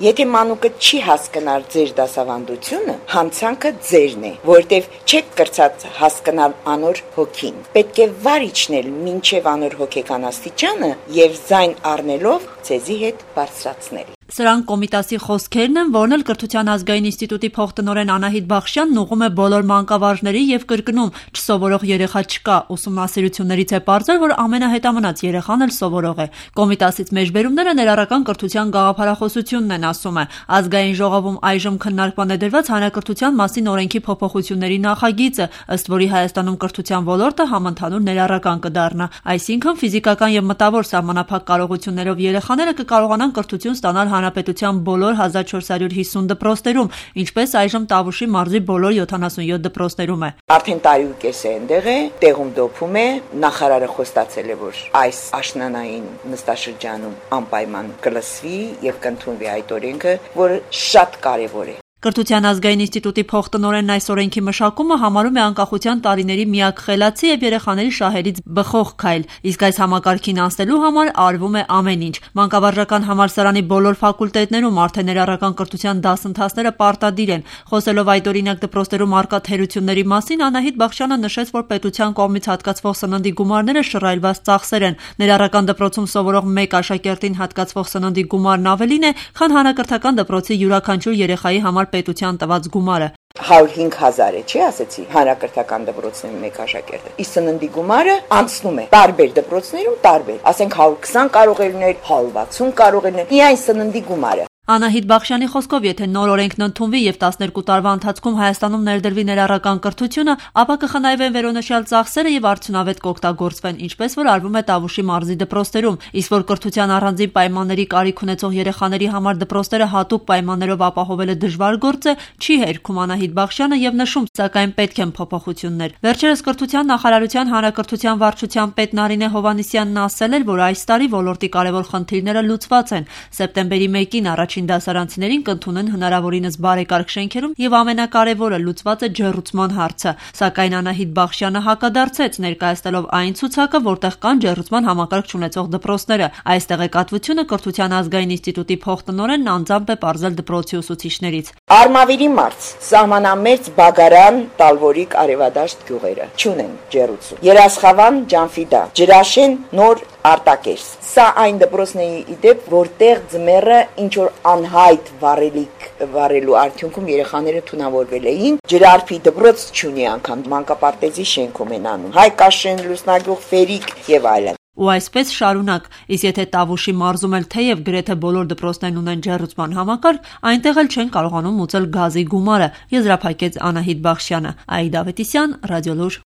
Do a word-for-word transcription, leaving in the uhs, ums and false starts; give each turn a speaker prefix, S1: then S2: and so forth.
S1: Եթե մանուկը չի հասկանալ ձեր դասավանդությունը, հանցանքը ձերն է, որտեվ չեք կրծած հասկանալ անոր հոգին։ Պետք է վար իջնել մինչև անոր հոգեկան աստիճանը եւ ձայն առնելով ցեզի հետ բարձրացնել։
S2: Սրանք Կոմիտասի խոսքերն են, որն էլ Կրթության ազգային ինստիտուտի փոխտնօրեն Անահիտ Բախշյանն ուղղում է բոլոր մանկավարժների եւ կրկնում՝ չսովորող երեխա չկա, ուսումնասիրություններից է պարզել, որ ամենահետամնաց երեխան էլ սովորող է։ Կոմիտասից մեջբերումները ներառական կրթության գաղափարախոսությունն են, ասում է։ Ազգային ժողովում այժմ քննարկման է դրված հանրակրթության մասին օրենքի փոփոխությունների նախագիծը, ըստ որի Հայաստանում կրթության ոլորտը համընդհանուր ներառական կդառնա։ Այսինքն ֆիզիկական եւ մտավոր սահմանափակ կարողություններով երեխաները կկարողանան կրթություն ստանալ հանրապետության բոլոր հազար չորս հարյուր հիսուն դպրոցներում, ինչպես այժմ Տավուշի մարզի բոլոր յոթանասունյոթ դպրոցներում է։
S1: Արդեն տարի ու կես է այնտեղ է, տեղում դոփում է, նախարարը խոստացել է, որ այս աշնանային նստաշրջանում անպայման կլսվի եւ կընդունվի այդ օրենքը, որը շատ կարեւոր է։
S2: Կրթության ազգային ինստիտուտի փոխտնօրենն այս օրենքի մշակումը համարում է անկախության տարիների միակ խելացի եւ երեխաների շահերից բխող քայլ, իսկ այս համակարգին անցնելու համար արվում է ամեն ինչ։ Մանկավարժական համալսարանի բոլոր ֆակուլտետներում արդեն ներառական կրթության դասընթացները պարտադիր են։ Խոսելով այդ օրինակ դպրոցներում առկա թերությունների մասին, Անահիտ Բախշյանը նշեց, որ պետության կողմից հատկացվող սննդի գումարները շռայլված ծախսեր են։ Ներառական դպրոցում սովորող մեկ աշակերտին հատկացվող սննդի գումարն ավելին է, քան հանրակրթական դպրոցի յուրաքանչյուր երեխայի համար պետության տված գումարը։
S1: հարյուր հինգ հազար է, չի ասեցի, հանրակրթական դպրոցներում մեկ աշակերտը։ Իսկ սննդի գումարը անցնում է տարբեր դպրոցներում տարբեր, ասենք հարյուր քսան կարող է լինել, հարյուր վաթսուն կարող է լինել, միայն սննդի գումարը։
S2: Անահիտ Բախշյանի խոսքով, եթե նոր օրենքն ընդունվի եւ տասներկու տարվա ընթացքում Հայաստանում ներդրվի ներառական կրթությունը, ապա կխնայվեն վերոնշյալ ծախսերը եւ արդյունավետ կօգտագործվեն, ինչպես որ արվում է Տավուշի մարզի դպրոցներում, իսկ որ կրթության առանձին պայմանների կարիք ունեցող երեխաների համար դպրոցները հատուկ պայմաններով ապահովելը դժվար գործ է, չի հերքում Անահիտ Բախշյանը եւ նշում, սակայն պետք են փոփոխություններ։ Վերջերս կրթության նախարարության հանրակրթության վարչության պետ Նարինե Հովհաննիսյանն ասել էր, որ այս տարի ոլորտի կարևոր խնդիրները լուծված են։ Սեպտեմբերի մեկին առաջին դասարանցիներին կընդունեն հնարավորինս բարեկարգ շենքերում եւ ամենակարևորը լուծված է ջեռուցման հարցը, սակայն Անահիտ Բախշյանը հակադարձեց, ներկայացնելով այն ցուցակը, որտեղ կան ջեռուցման համակարգ չունեցող դպրոցները։ Այս տեղեկատվությունը Կրթության ազգային ինստիտուտի փոխտնօրենն անձամբ է պարզել դպրոցի ուսուցիչներից։
S1: Արմավիրի մարզ, սահմանամերձ Բագարան, Տալվորիկ, Արևադաշտ գյուղերը չունեն ջեռուցում։ Երասխավան, Ջանֆիդա, Ջրաշեն, Նոր Արտակերս։ Սա այն դպրոցների իդեպ, որտեղ ձմեռը ինչ որ անհայտ վառելիք վառելու արդյունքում երեխաները թունավորվել էին, ջրարփի դպրոց չունի անգամ, մանկապարտեզի շենքում են անում, Հայկաշեն, Լուսնագյուղ, Ֆերիկ եւ այլն։
S2: Ու այսպես շարունակ, իսկ եթե Տավուշի մարզում էլ թեև գրեթե բոլոր դպրոցներն ունեն ջեռուցման համակարգ, այնտեղ էլ չեն կարողանում մուծել գազի գումարը, եզրափակեց Անահիտ Բախշյանը։ Աիդա Ավետիսյան, Ռադիոլուր։